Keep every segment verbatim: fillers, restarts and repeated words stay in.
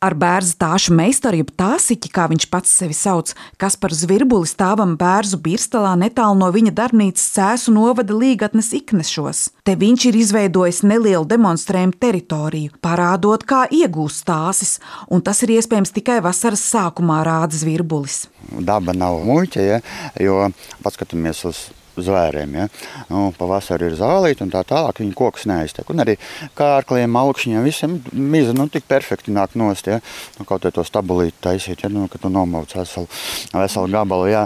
Ar bērzu tāšu meistaru, jeb tāsiķi, kā viņš pats sevi sauc, Kaspars Zvirbulis stāvam bērzu Birstalā netālu no viņa darbnīcas Cēsu novada Līgatnes Iknešos. Te viņš ir izveidojis nelielu demonstrējumu teritoriju, parādot, kā iegūst tāsis, un tas ir iespējams tikai vasaras sākumā, rāda Zvirbulis. Daba nav muļķa, ja, jo paskatāmies uz zvēriem, ja. Nu, pavasarī ir zālīti un tā tālāk, viņi kokus neaiztek. Un arī kārkliem, augšņiem, visiem miza, nu, tik perfekti nāk nost, ja. Nu, kaut vai to stabulīti taisīt, ja, nu, kad tu nomauc veselu, veselu gabalu, jā.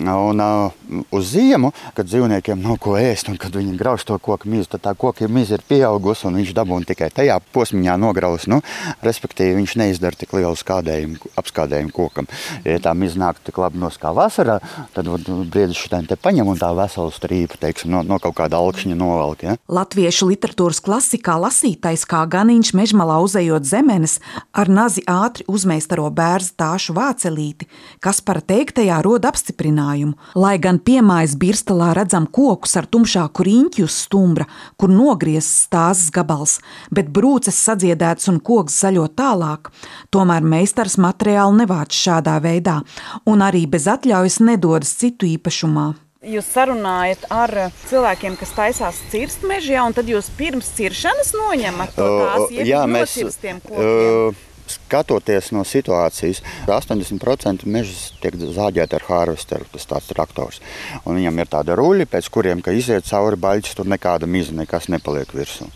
Un uh, uz ziemu, kad dzīvniekiem nav ko ēst un kad viņi grauž to koku mizu, tad tā koka miza ir pieaugusi un viņš dabūna tikai tajā posmiņā nograus, nu, respektīvi viņš neizdara tik lielu skādējumu, apskādējumu kokam. Ja tā miza nāk tik labi nos kā vasarā, tad briedis šitēm te paņem un tā veselu strīpu, teiksim, no, no kaut kāda alkšņa novelk, ja. Latviešu literatūras klasikā lasītais kā ganiņš mežmalā uzejot zemenes ar nazi ātri uzmeistaro bērzu tāšu vācelīti, Kaspara teiktajā rod apstiprinājumu. Lai gan piemājas Birstalā redzam kokus ar tumšāku riņķi uz stumbra, kur nogriezts tāzes gabals, bet brūces sadziedēts un koks zaļo tālāk, tomēr meistars materiālu nevāc šādā veidā un arī bez atļaujas nedodas citu īpašumā. Jūs sarunājat ar cilvēkiem, kas taisās cirst mežā, un tad jūs pirms ciršanas noņemat to tās ieviņu nocirstiem kokiem? Skatoties no situācijas, astoņdesmit procenti mežas tiek zāģēti ar harvesteru, tas tāds traktors. Un viņam ir tāda ruļi, pēc kuriem, ka iziet cauri baļķis, tur nekāda miza, nekas nepaliek virsū.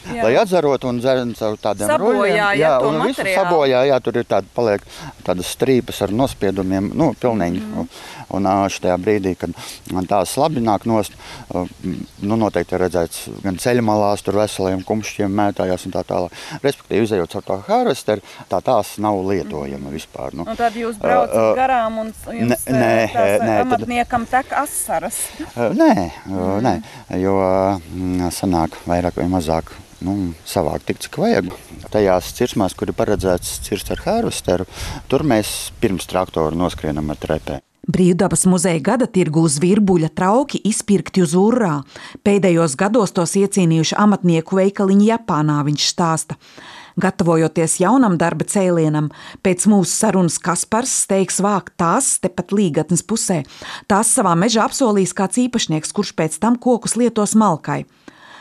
Jā. Lai atzarot un dzerin caur tādiem ruļiem, jā, jā, un visu sabojā, jā, tur ir tāda, paliek tādas strīpas ar nospiedumiem, nu, pilnīgi. Mm. Un šajā brīdī, kad tās labi nāk nost, nu, noteikti ir redzēts gan ceļa malās, tur veseliem kumšķiem mētājās un tā tālāk. Respektīvi, izejot caur to harvesteru, tā tās nav lietojama vispār. Nu. Un tad jūs braucat uh, garām un jums ne, nē, tās nē, amatniekam tad... tek asaras? Nē, mm. nē, jo sanāk vairāk vai mazāk. Nu, savāk tik, cik vajag. Tajās cirsmās, kur ir paredzēts cirst ar harvesteru, tur mēs pirms traktoru noskrienam ar trepēm. Brīvdabas muzeja gada tirgū Zvirbuļa trauki izpirkti uz urrā. Pēdējos gados tos iecīnījuši amatnieku veikaliņi Japānā, viņš stāsta. Gatavojoties jaunam darba cēlienam, pēc mūsu sarunas Kaspars steigs vākt tās tepat Līgatnes pusē. Tās savā mežā apsolīs kāds īpašnieks, kurš pēc tam kokus lietos malkai.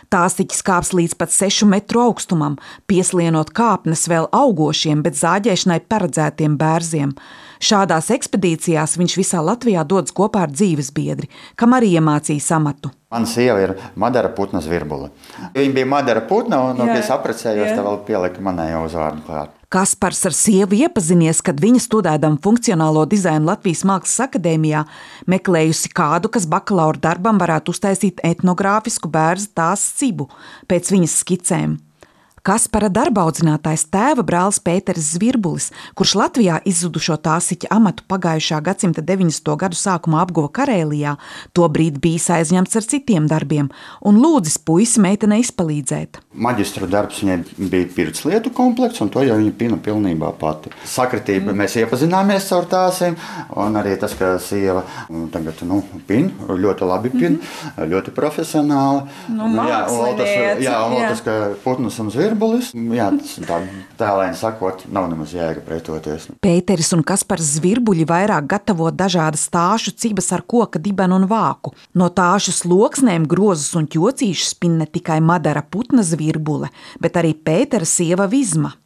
Tāsiķis kāps līdz pat sešu metru augstumam, pieslienot kāpnes vēl augošiem, bet zāģēšanai paredzētiem bērziem. Šādās ekspedīcijās viņš visā Latvijā dodas kopā ar dzīvesbiedri, kam arī iemācījis amatu. Mana sieva ir Madara Putna Zvirbule. Viņa bija Madara Putna, un, kad es apprecējos, tā vēl pielika manējo uzvārdu klāt. Kaspars ar sievu iepazinies, kad viņa studēdama funkcionālo dizainu Latvijas Mākslas akadēmijā meklējusi kādu, kas bakalaura darbam varētu uztaisīt etnogrāfisku bērzu tās cibu pēc viņas skicēm. Kaspara darba audzinātājs tēva brālis Pēteris Zvirbulis, kurš Latvijā izzudušo tāsiķa amatu pagājušā gadsimta deviņdesmito gadu sākumā apguva Karēlijā, tobrīd bijis aizņemts ar citiem darbiem un lūdzis puisi meitenei izpalīdzēt. Maģistra darbs viņai bija pirtslietu komplekts, un to jau viņa pina pilnībā pati. Sakritība, mm. mēs iepazināmies caur tāsiem, un arī tas, ka sieva tagad, nu, pin, ļoti labi pin, mm-hmm. ļoti profesionāli. Nu, mākslinieci. Jā, un vēl tas, ka Putnas un Zvirbulis. Jā, tā tēlēni sakot, nav nemaz jēga pretoties. Pēteris un Kaspars Zvirbuļi vairāk gatavo dažādas tāšu cibas ar koka dibenu un vāku. No tāšu sloksnēm grozus un ķocīšus spin ne tikai Madara Putna Zvirbule, bet arī Pētera sieva Vizma.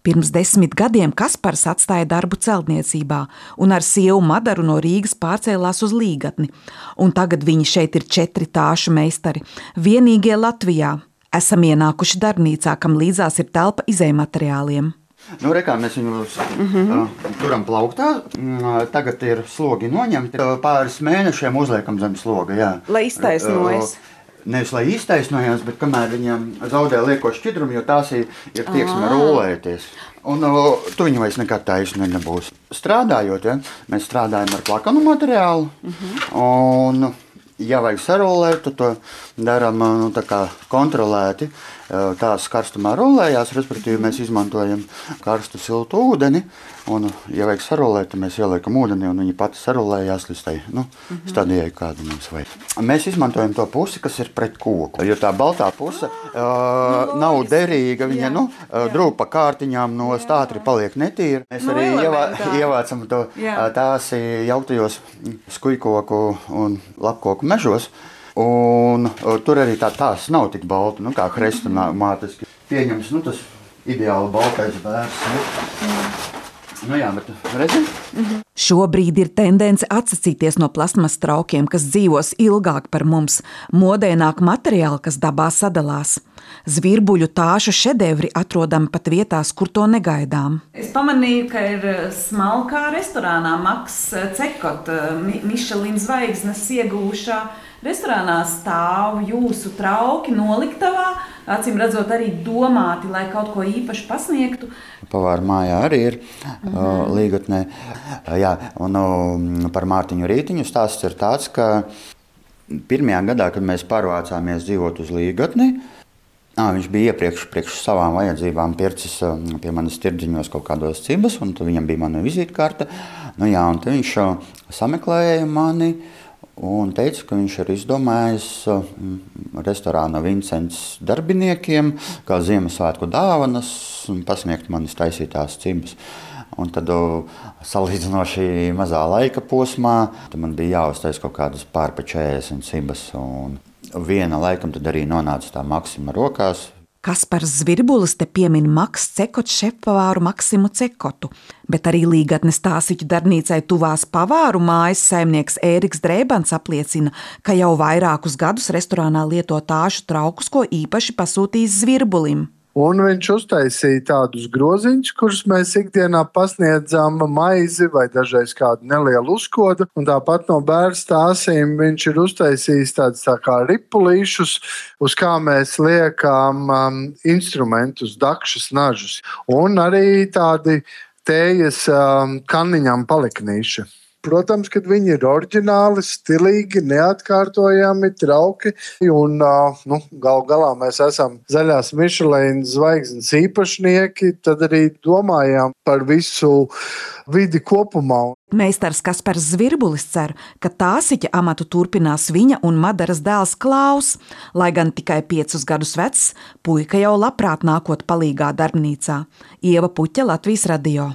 Pirms desmit gadiem Kaspars atstāja darbu celtniecībā un ar sievu Madaru no Rīgas pārcēlās uz Līgatni. Un tagad viņi šeit ir četri tāšu meistari, vienīgie Latvijā. Esam ienākuši darbnīcā, kam līdzās ir telpa izejmateriāliem. Nu, rekā, mēs viņu mm-hmm. uh, turam plauktā. Uh, tagad ir slogi noņemti. Uh, pāris mēnešiem uzliekam zem sloga, jā. Lai iztaisnojas. Uh, nevis, lai iztaisnojas, bet kamēr viņam zaudē lieko šķidrumu, jo tās ir, ir tieksme rulēties. Un uh, tu viņu vairs nekad taisni nebūs. Strādājot, ja, mēs strādājam ar plakanu materiālu. Mm-hmm. Un... Ja vajag sarolēt, tad to darām nu, tā kā kontrolēti, tās karstumā rolējās, respektīvi mēs izmantojam karstu siltu ūdeni, un, ja vajag sarolēt, tad mēs ieliekam ūdeni, un viņi pati sarolējās līdz tai nu, stadijai, kādu mums vajag. Mēs izmantojam to pusi, kas ir pret koku, jo tā baltā puse uh, nav derīga, viņa nu, drūp pa kārtiņām no stātri paliek netīra. Mēs arī ievā, ievācam to tās jauktajos skujkoku un lapkoku mežos, un tur arī tā tās nav tik balta, nu, kā hrestomātiski pieņems, nu, tas ideāli baltais bērs. Nu jā, bet redzi? Mhm. Šobrīd ir tendence atsacīties no plasmas traukiem, kas dzīvos ilgāk par mums. Modē nāk materiāli, kas dabā sadalās. Zvirbuļu tāšu šedevri atrodami pat vietās, kur to negaidām. Es pamanīju, ka ir smalkā restorānā Maks Cekot, Mišelina zvaigznes iegūšā. Restorānā stāv jūsu trauki noliktavā, acīm redzot arī domāti, lai kaut ko īpaši pasniegtu. Pavāra mājā arī ir mm-hmm. uh, līgatnē. Uh, jā, un uh, par Mārtiņu Rītiņu stāsts ir tāds, ka pirmajā gadā, kad mēs pārvācāmies dzīvot uz līgatni, uh, viņš bija iepriekš priekš savām vajadzībām pircis uh, pie manas tirdziņos kaut kādos cibas, un viņam bija mana vizītkarte. Nu jā, un tad viņš uh, sameklēja mani, un teica, ka viņš ir izdomājis uh, restorāna Vincents darbiniekiem, kā Ziemassvētku dāvanas, un pasniegt manis taisītās cibas. Un tad uh, salīdzinoši mazā laika posmā, tad man bija jāuztais kaut kādas pār pa četrdesmit cibas, un viena laikam tad arī nonāca tā Maksima rokās. Kaspars Zvirbulis te piemin Maks Cekot šefpavāru Maksimu Cekotu, bet arī līgatnes Tāsiķu darbnīcai tuvās pavāru mājas saimnieks Ēriks Drēbans apliecina, ka jau vairākus gadus restorānā lieto tāšu traukus, ko īpaši pasūtījis Zvirbulim. Un viņš uztaisīja tādus groziņus, kurus mēs ikdienā pasniedzām maizi vai dažreiz kādu nelielu uzkodu. Un tāpat no bērnu stāsīm viņš ir uztaisījis tādus tā kā ripulīšus, uz kā mēs liekam um, instrumentus, dakšas, nažus. Un arī tādi tējas um, kaniņām paliknīši. Protams, kad viņi ir oriģināli, stilīgi, neatkārtojami, trauki. Un, nu, gal galā mēs esam zaļās Mišelina zvaigznes īpašnieki, tad arī domājām par visu vidi kopumā. Meistars Kaspars Zvirbulis cer, ka Tāsiķa amatu turpinās viņa un Madaras dēls Klaus. Lai gan tikai piecus gadus vecs, puika jau labprāt nākot palīgā darbnīcā. Ieva Puķa, Latvijas radio.